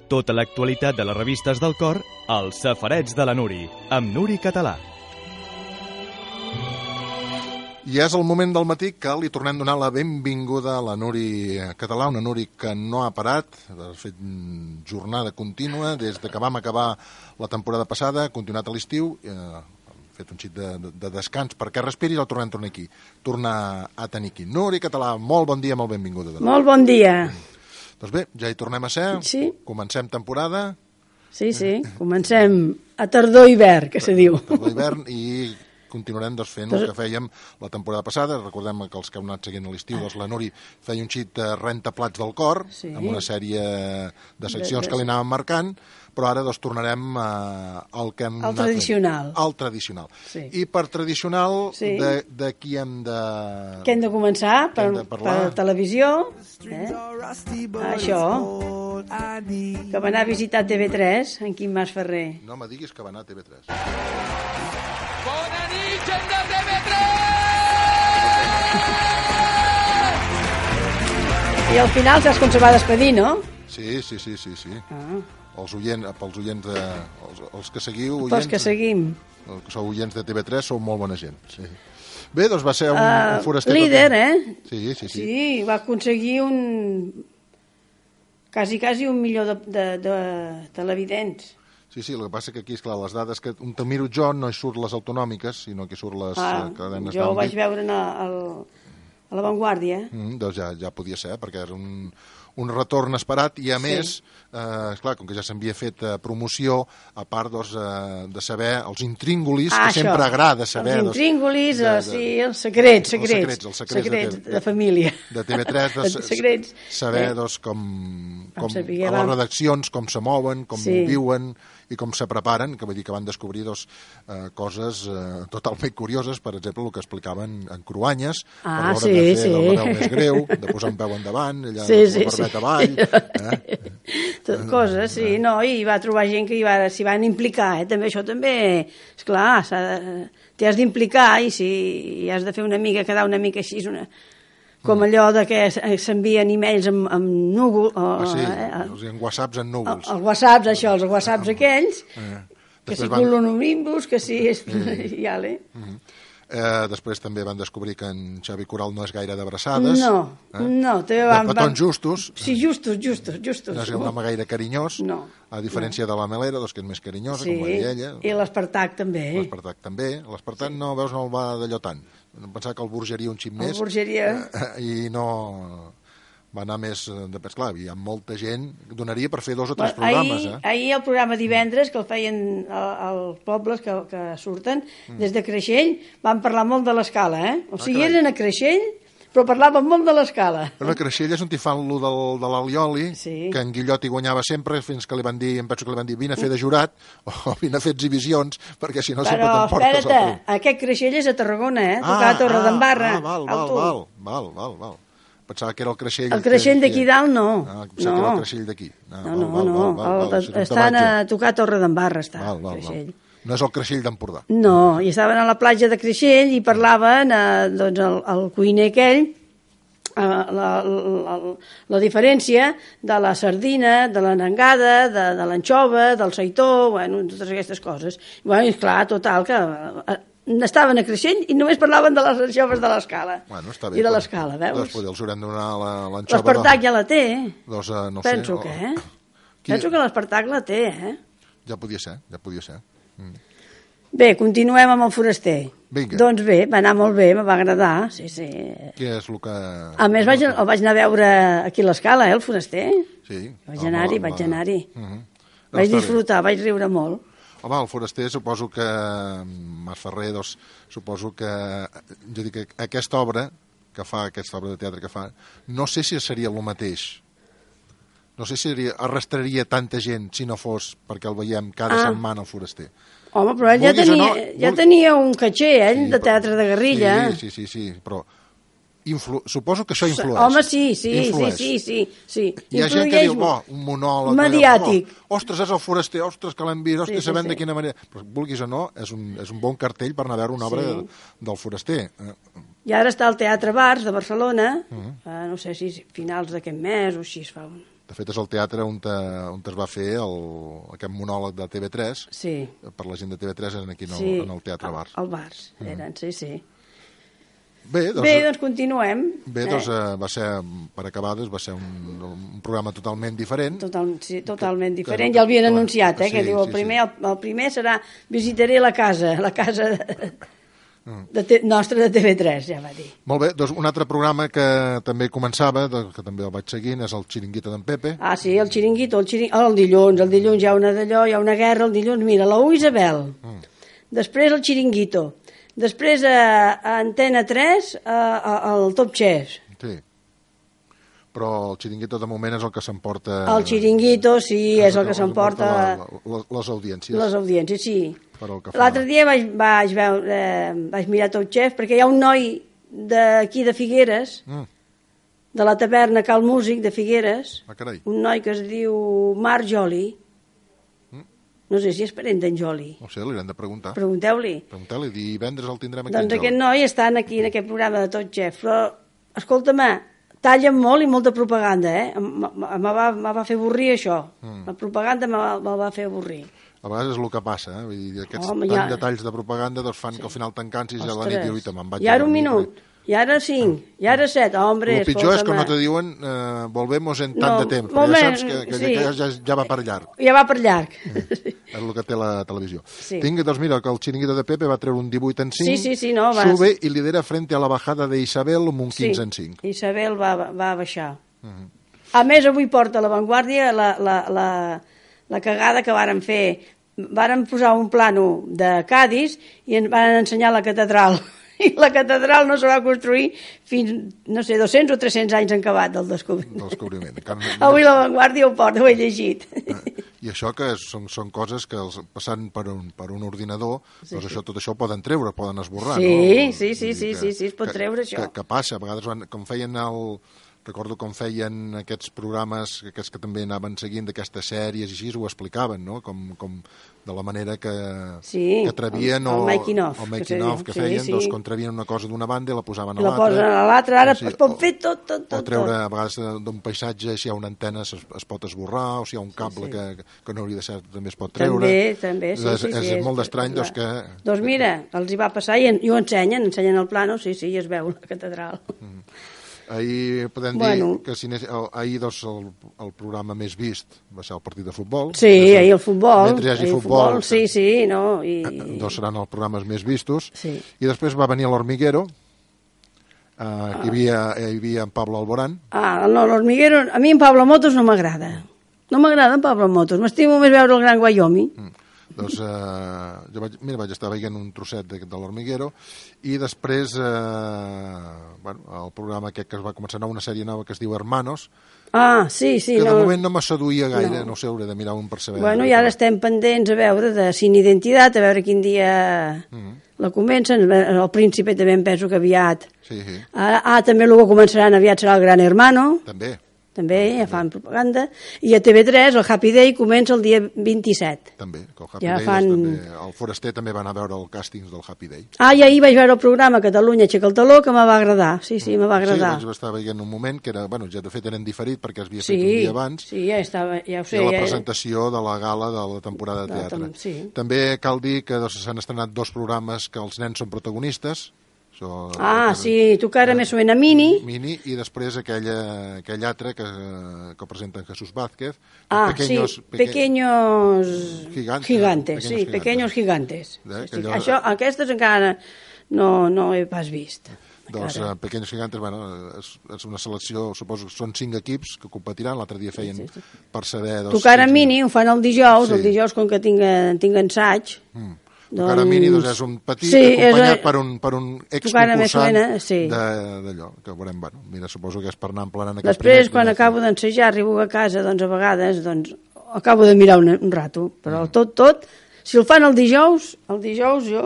Tota l'actualitat de les revistes del cor, als Safarets de la Nuri, amb Nuri Català. I és el moment del matí que li tornem a donar la benvinguda a la Nuri Català, una Nuri que no ha parat, ha fet jornada contínua des que vam acabar la temporada passada, ha continuat a l'estiu, ha fet un xic de descans perquè respiri i el tornar a tenir aquí. Nuri Català, molt bon dia, molt benvinguda. Molt bon dia. Doncs bé, ja hi tornem a ser, sí. Comencem temporada. Sí, comencem a tardor-hivern, que se diu. Tardor-hivern i continuarem fent el que fèiem la temporada passada. Recordem que els que heu anat seguint a l'estiu, la Nuri feia un xic de rentaplats del cor, amb una sèrie de seccions que li anàvem marcant, però ara tornarem al que hem anat tradicional. Al tradicional. Sí. I per tradicional, de qui hem de... Què hem de començar? Per televisió. Això. Que va anar a visitar TV3, en Quim Mas Ferrer. No me diguis que va anar a TV3. Bona nit, gent de TV3! I al final saps com se va despedir, no? Sí. Pels oients els que seguiu... Pels que seguim. Els que sou oients de TV3 sou molt bona gent, sí. Bé, doncs va ser un foraster... Líder, Sí. Sí, va aconseguir quasi 1 milió de televidents. Sí, el que passa que aquí, esclar, les dades que te miro jo no hi surt les autonòmiques, sinó que hi surt les cadenes d'àmbit. Jo ho vaig veure a La Vanguardia. Doncs ja podia ser, perquè era un retorn esperat i, a més, esclar, com que ja s'havia fet promoció, a part de saber els intríngulis, que sempre agrada saber... Els intríngulis, els secrets de família. De TV3, saber com a les redaccions, com se mouen, com viuen i com se preparen, que vull dir que van descobrir coses totalment curioses, per exemple, el que explicaven en Cruanyes, a l'hora de fer la veu més greu, de posar un peu endavant, allà la barbeta avall... Coses, i va trobar gent que s'hi van implicar, també això també, esclar, t'hi has d'implicar i si has de fer quedar una mica així, com allò de que s'envien e-mails amb núvol... en whatsapps en núvols. Els whatsapps, els whatsapps aquells, que si colonomimbus, que si... Després també van descobrir que en Xavi Coral no és gaire d'abraçades. No. De petons justos. Sí, justos. No és un home gaire carinyós, a diferència de la Melera, que és més carinyosa, com va dir ella. I l'Espartac també. L'Espartac no el va d'allò tant. Pensava que el Borgeria un xic més. El Borgeria. I no... va anar més... Clar, hi ha molta gent... Donaria per fer 2 o 3 programes, Ahir el programa divendres, que el feien els pobles que surten, des de Creixell, van parlar molt de l'Escala, O sigui, eren a Creixell, però parlaven molt de l'Escala. Però a Creixell és on hi fan lo de l'Alioli, que en Guillot hi guanyava sempre, fins que li van dir, em penso que li van dir, vine a fer de jurat, o vine a fer exhibicions, perquè si no sempre t'emportes... Però, espera't, aquest Creixell és a Tarragona, tocar a Torredembarra. Val. Pensava que era el Creixell... El Creixell d'aquí dalt, no. Pensava que era el Creixell d'aquí. No. Estan a tocar a Torredembarra, està el Creixell. No és el Creixell d'Empordà. No, i estaven a la platja de Creixell i parlaven, el cuiner aquell, la diferència de la sardina, de l'anengada, de l'anxova, del seitó, totes aquestes coses. I clar, total, que... estaven a Creixell i només parlaven de les anxoves de l'Escala. I de l'Escala, veus? Doncs els haurem de donar l'anxova... L'Espartac ja la té. Doncs no sé. Penso que l'Espartac la té, Ja podia ser. Bé, continuem amb el foraster. Vinga. Doncs bé, va anar molt bé, me va agradar, sí. Què és el que... A més, el vaig anar a veure aquí a l'Escala, el foraster. Sí. Vaig anar-hi. Vaig disfrutar, vaig riure molt. Home, el foraster, suposo que Mas Ferrer, suposo que jo dic que aquesta obra de teatre que fa, no sé si seria el mateix. No sé si arrastraria tanta gent si no fos perquè el veiem cada setmana al foraster. Home, però ell ja tenia un caché, de teatre de guerrilla. Sí, però suposo que això influeix. Home, sí. Hi ha gent que diu, un monòleg... mediàtic. Ostres, és el foraster, ostres, que l'hem vist, ostres, sabem de quina manera... Però vulguis o no, és un bon cartell per anar a veure una obra del foraster. I ara està al Teatre Bars de Barcelona, no sé si finals d'aquest mes o així es fa De fet, és el teatre on es va fer aquest monòleg de TV3. Sí. Per la gent de TV3 eren aquí en el Teatre Bars. Al Bars, eren, sí. Bé, doncs continuem. Bé, doncs va ser, per acabar, va ser un programa totalment diferent. Totalment diferent. Ja l'havien anunciat, que diu el primer serà visitaré la casa nostra de TV3, ja va dir. Molt bé, doncs un altre programa que també començava, que també el vaig seguint, és el Xiringuito d'en Pepe. Ah, sí, el Xiringuito, el dilluns hi ha una d'allò, hi ha una guerra, el dilluns, mira, la U Isabel, després el Xiringuito, després a Antena 3 el Top Chef. Sí, però el Xiringuito de moment és el que s'emporta... El Xiringuito, sí, és el que s'emporta... Les audiències. Les audiències, sí. L'altre dia vaig mirar Top Chef perquè hi ha un noi d'aquí de Figueres, de la taverna Cal Músic de Figueres, un noi que es diu Marc Joli. No sé si és parent d'en Joli. No sé, li hem de preguntar. Pregunteu-li. Divendres el tindrem aquí. Doncs aquest noi està aquí en aquest programa de Top Chef, però escolta-me, tallen molt i molta propaganda, me va fer avorrir això. La propaganda me va fer avorrir. A vegades és el que passa, vull dir, aquests tants detalls de propaganda fan que al final t'encansis i a la nit dius, me'n vaig a dormir. I ara un minut, i ara 5, i ara 7, hombre, el pitjor és que no te diuen volvemos en tant de temps, però ja saps que ja va per llarg. Ja va per llarg. És el que té la televisió. Doncs mira, que el Xiringuito de Pepe va treure un 18 en 5, sube i lidera frente a la bajada de Isabel amb un 15 en 5. Isabel va baixar. A més, avui porta a La Vanguardia la cagada que varen fer. Varen posar un plano de Cádiz i ens van ensenyar la catedral. I la catedral no se va construir fins, no sé, 200 o 300 anys en acabat del descobriment. Avui La Vanguardia ho porta, ho he llegit. I això que són coses que passant per un ordinador, doncs tot això ho poden treure, poden esborrar. Sí, es pot treure això. Que passa, a vegades com feien recordo com feien aquests programes, aquests que també anaven seguint d'aquestes sèries i així, ho explicaven, no? Com de la manera que atrevien el making of que feien, doncs quan trevien una cosa d'una banda i la posaven a l'altra. La posen a l'altra, ara es pot fer tot. O treure, a vegades, d'un paisatge, si hi ha una antena es pot esborrar, o si hi ha un cable que no hauria de ser, també es pot treure. També, és molt estrany, doncs que... Doncs mira, els hi va passar i ho ensenyen el plano, sí, i es veu la catedral. Ahir podem dir que ahir el programa més vist va ser el partit de futbol. Sí, ahir el futbol. Mentre hi hagi futbol, doncs seran els programes més vistos. I després va venir l'Hormiguero, que hi havia en Pablo Alborán. No, l'Hormiguero, a mi en Pablo Motos no m'agrada. No m'agrada en Pablo Motos, m'estimo més veure el Gran Wyoming. Doncs jo vaig estar veient un trosset de l'Hormiguero i després el programa aquest que es va començar una sèrie nova que es diu Hermanos, sí. Que de moment no me seduïa gaire, no sé, hauré de mirar un per saber. I ara estem pendents a veure de Sin Identitat, a veure quin dia la comencen. El Príncipe també em penso que aviat. També el que començaran aviat serà el Gran Hermano. També ja fan propaganda. I a TV3 el Happy Day comença el dia 27. També, que el Happy Day, el Foraster també va anar a veure el càstings del Happy Day. I ahir vaig veure el programa Catalunya Aixeca el taló, que me va agradar. Sí, me va agradar. Sí, vaig estar veient un moment que era, ja de fet eren diferit perquè es havia fet un dia abans. Sí, ja ho sé. I la presentació de la gala de la temporada de teatre. També cal dir que s'han estrenat 2 programes que els nens són protagonistes. Tu que ara més o menys a Mini. I després aquell altre que presenta Jesús Vázquez. Pequeños Gigantes. Pequeños Gigantes. Aquestes encara no he pas vist. Doncs Pequeños Gigantes, és una selecció, suposo que són 5 equips que competiran, l'altre dia feien per saber... Tu que ara Mini ho fan el dijous com que tinc ensaig. Tocar a Mini és un petit acompanyat per un exconcursant d'allò, que veurem, mira, suposo que és per anar emplenant aquest primer. Després, quan acabo d'ensejar, arribo a casa, doncs a vegades acabo de mirar un rato, però tot, si el fan el dijous jo...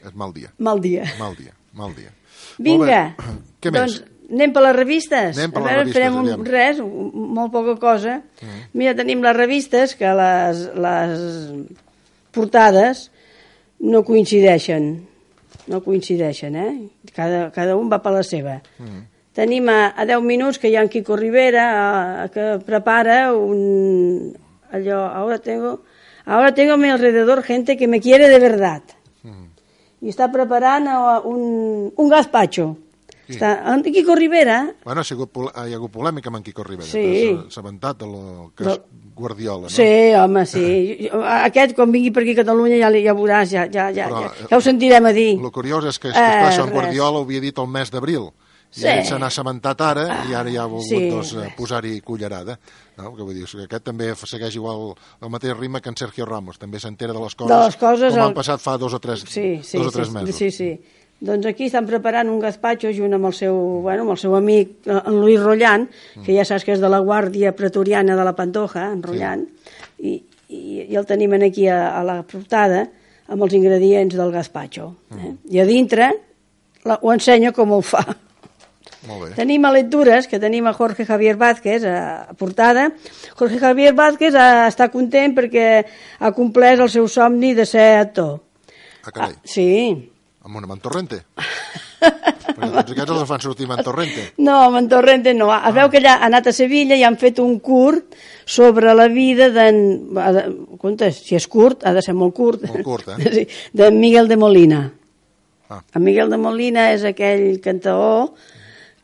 És mal dia. Mal dia. Vinga, doncs anem per les revistes. Farem molt poca cosa. Mira, tenim les revistes que les portades no coincideixen, cada un va per la seva. tenim a 10 minuts que hi ha en Quico Rivera, que prepara allò, ahora tengo a mi alrededor gente que me quiere de verdad. I està preparant un gazpacho. Sí. En Quico Rivera... Bueno, hi ha hagut polèmica amb en Quico Rivera. Sí. S'ha aventat del cas Guardiola, no? Sí, home, sí. Aquest, quan vingui per aquí a Catalunya, ja veuràs, ja ho sentirem a dir. El curiós és que en Guardiola ho havia dit el mes d'abril. I ell se n'ha assabentat ara i ara ja ha volgut posar-hi cullerada. No? Que vull dir, que aquest també segueix igual el mateix ritme que en Sergio Ramos. També s'entera de les coses com han passat fa 2 o 3 mesos. Sí. Doncs aquí estan preparant un gazpacho junt amb el seu amic, en Luis Rollán, que ja saps que és de la Guàrdia Pretoriana de la Pantoja, en Rollán, i el tenim aquí a la portada amb els ingredients del gazpacho. I a dintre ho ensenyo com ho fa. Molt bé. Tenim a lectures, que tenim a Jorge Javier Vázquez a portada. Jorge Javier Vázquez està content perquè ha complert el seu somni de ser actor. Ah, carai. Sí. Amb una Mantorrente? Perquè tots aquests els fan sortir Mantorrente. No, Mantorrente no. Es veu que allà ha anat a Sevilla i han fet un curt sobre la vida compte, si és curt, ha de ser molt curt. Molt curt, Sí, de Miguel de Molina. En Miguel de Molina és aquell cantaor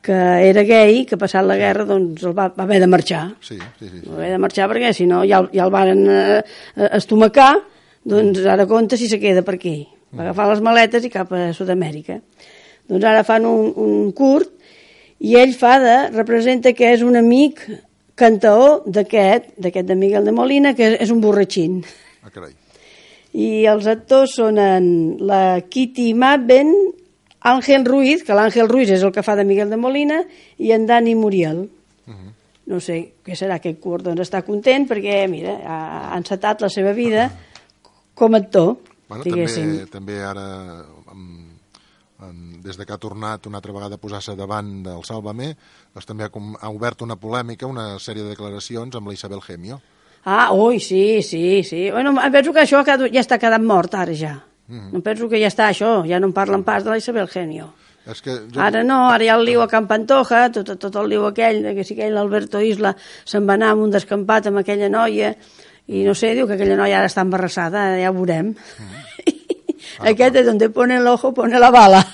que era gay, que passat la guerra doncs el va haver de marxar. Sí. Va haver de marxar perquè si no ja el van estomacar, doncs ara compta si se queda per aquí. Va agafar les maletes i cap a Sud-amèrica. Doncs ara fan un curt i ell representa que és un amic cantaor d'aquest de Miguel de Molina, que és un borratxín. Ah, carai. I els actors són la Kitty Madben, Ángel Ruiz, que l'Àngel Ruiz és el que fa de Miguel de Molina, i en Dani Muriel. No sé què serà aquest curt, doncs està content perquè, mira, ha encetat la seva vida com a actor. Bueno, també ara, des que ha tornat una altra vegada a posar-se davant del Sálvame, doncs també ha obert una polèmica, una sèrie de declaracions amb la Isabel Gemio. Sí. Bueno, penso que això ja està quedant mort, ara ja. No penso que ja està això, ja no en parlen pas de la Isabel Gemio. Ara no, ara hi ha el liu a Can Pantoja, tot el liu aquell, que si aquell l'Alberto Isla se'n va anar amb un descampat amb aquella noia, i no sé, diu que aquella noia ara està embarassada, ja ho veurem. Aquest és on pone el ojo, pone la bala.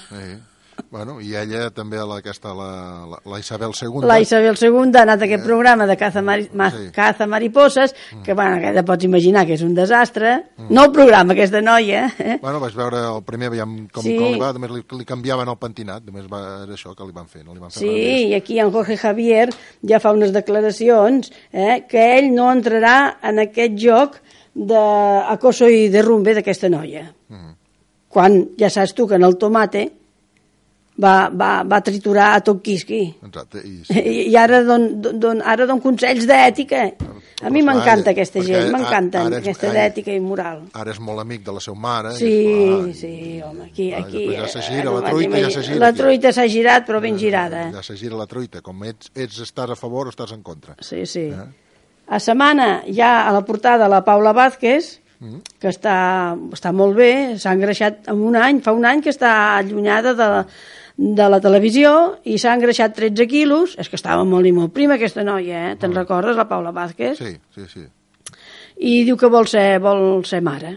Bueno, i ella també, la Isabel II. La Isabel II ha anat a aquest programa de caza mariposas, que, bueno, que ja pots imaginar que és un desastre. No el programa, aquesta noia. Bueno, vaig veure el primer, veiem com li va, només li canviaven el pentinat, només era això que li van fer, no li van fer res més. I aquí en Jorge Javier ja fa unes declaracions que ell no entrarà en aquest joc d'acoso i derrumbe d'aquesta noia. Quan ja saps tu que en el tomate va triturar a tot quisqui. Exacte. I ara don consells d'ètica. A mi m'encanta aquesta gent, m'encanten aquesta d'ètica i moral. Ara és molt amic de la seva mare. Sí, home, aquí... Ja se gira, la truita ja se gira. La truita s'ha girat, però ben girada. Ja se gira la truita, com estàs a favor o estàs en contra. Sí. A setmana hi ha a la portada la Paula Vázquez, que està molt bé, s'ha engreixat fa un any que està allunyada de la televisió i s'ha engreixat 13 quilos, és que estava molt i molt prima aquesta noia, te'n recordes, la Paula Vázquez? Sí. I diu que vol ser mare.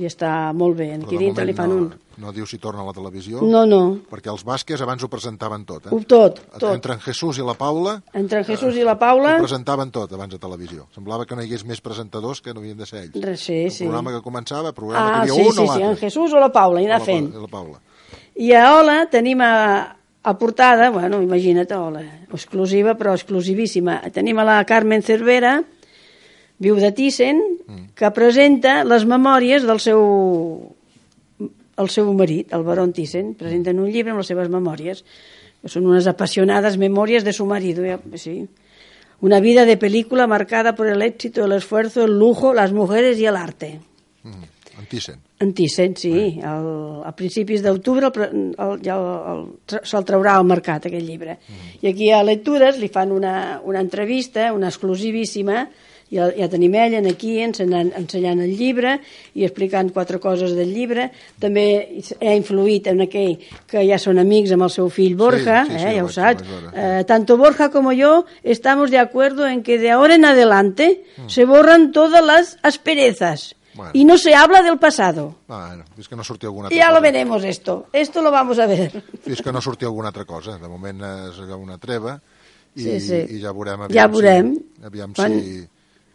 I està molt bé, aquí dintre li fan un... No diu si torna a la televisió? No. Perquè els Vázquez abans ho presentaven tot, Tot. Entre en Jesús i la Paula... Ho presentaven tot abans a televisió. Semblava que no hi hagués més presentadors que no havien de ser ells. Sí. El programa que començava, que hi havia un o l'altre. Sí, en Jesús o la Paula, i anar fent. La Paula. I a Ola tenim a portada, bueno, imagina't, Ola, exclusiva, però exclusivíssima. Tenim a la Carmen Cervera, viu de Thyssen, que presenta les memòries del seu marit, el barón Thyssen. Presenten un llibre amb les seves memòries, que són unes apassionades memòries de su marido. Sí. Una vida de película marcada por el éxito, el esfuerzo, el lujo, las mujeres y el arte. En Thyssen, sí. A principis d'octubre se'l traurà al mercat, aquest llibre. I aquí a Lectures li fan una entrevista, una exclusivíssima, ja tenim ella aquí ensenyant el llibre i explicant 4 coses del llibre. També ha influït en aquell que ja són amics amb el seu fill Borja, ja ho saps. Tanto Borja como yo estamos de acuerdo en que de ahora en adelante se borran todas las asperezas. Bueno. Y no se habla del pasado. Bueno, fins que no surti alguna altra ya cosa. Lo veremos esto lo vamos a ver. Fins que no surti alguna altra cosa. De moment és una treva i ja veurem aviam si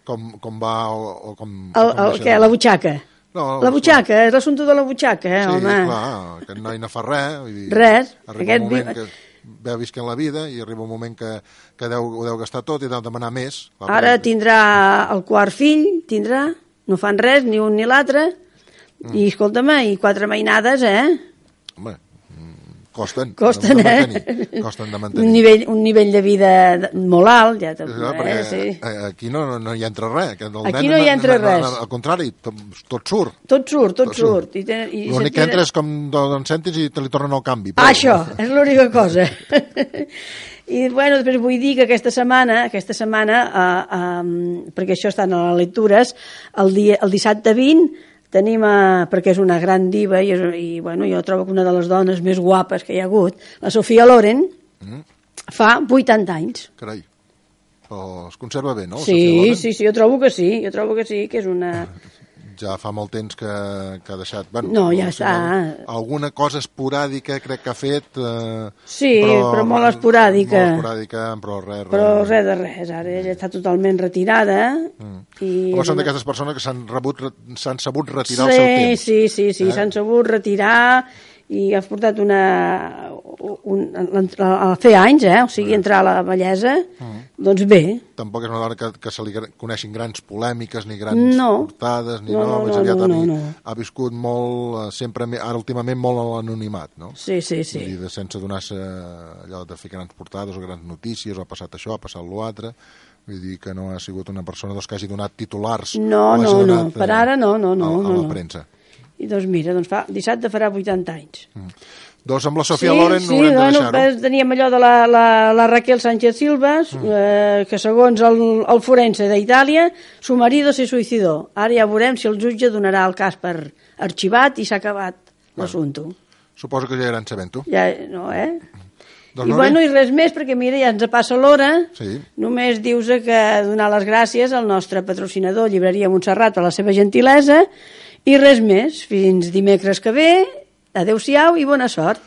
com va o com què, la butxaca? No, la butxaca, és l'assumpte de la butxaca, home. Sí, clar, aquest noi no fa res. Vull dir, res. Arriba un moment que veu visquent la vida i arriba un moment que ho deu gastar tot i deu demanar més. Ara tindrà el quart fill, no fan res, ni un ni l'altre, i escolta'm, i 4 mainades, Home, costen de Un mantenir. nivell de vida molt alt, ja perquè aquí no hi entra res. Aquí no hi entra res. Al contrari, tot surt. Tot surt. L'únic que entra és com 2 cèntims i te li tornen el canvi. Això, és l'única cosa. I bueno, després vull dir que aquesta setmana perquè això està a les lectures, el dissabte 20 tenim, perquè és una gran diva i bueno, jo trobo que una de les dones més guapes que hi ha hagut, la Sofia Loren, fa 80 anys. Carai, però es conserva bé, no? Sí, jo trobo que sí, que és una... Ja fa molt temps que ha deixat... Bueno, no, ja està. Alguna cosa esporàdica crec que ha fet... Sí, però molt esporàdica. Molt esporàdica, però res. Però res de res. Ara ella està totalment retirada. Però són d'aquestes persones que s'han sabut retirar al seu temps. Sí, s'han sabut retirar i has portat a fer anys, o sigui, entrar a la bellesa, doncs bé. Tampoc és una dona que se li coneixin grans polèmiques, ni grans portades, ni més aviat ha viscut molt, sempre, ara últimament, molt a l'anonimat, no? Sí. Vull dir, sense donar-se allò de fer grans portades o grans notícies, o ha passat això, ha passat l'altre. Vull dir que no ha sigut una persona que hagi donat titulars. No, per ara no. A la premsa. I doncs mira, dissabte farà 80 anys. Doncs amb la Sofia Loren no haurem de deixar-ho. Teníem allò de la Raquel Sánchez Silvas, que segons el forense d'Itàlia, su marido se suicidó. Ara ja veurem si el jutge donarà el cas per arxivat i s'ha acabat l'assumpte. Suposo que ja aniran sabent-ho. Ja, no, I res més, perquè mira, ja ens passa l'hora. Només dius que donar les gràcies al nostre patrocinador Llibreria Montserrat per la seva gentilesa. I res més, fins dimecres que ve, adeu-siau i bona sort.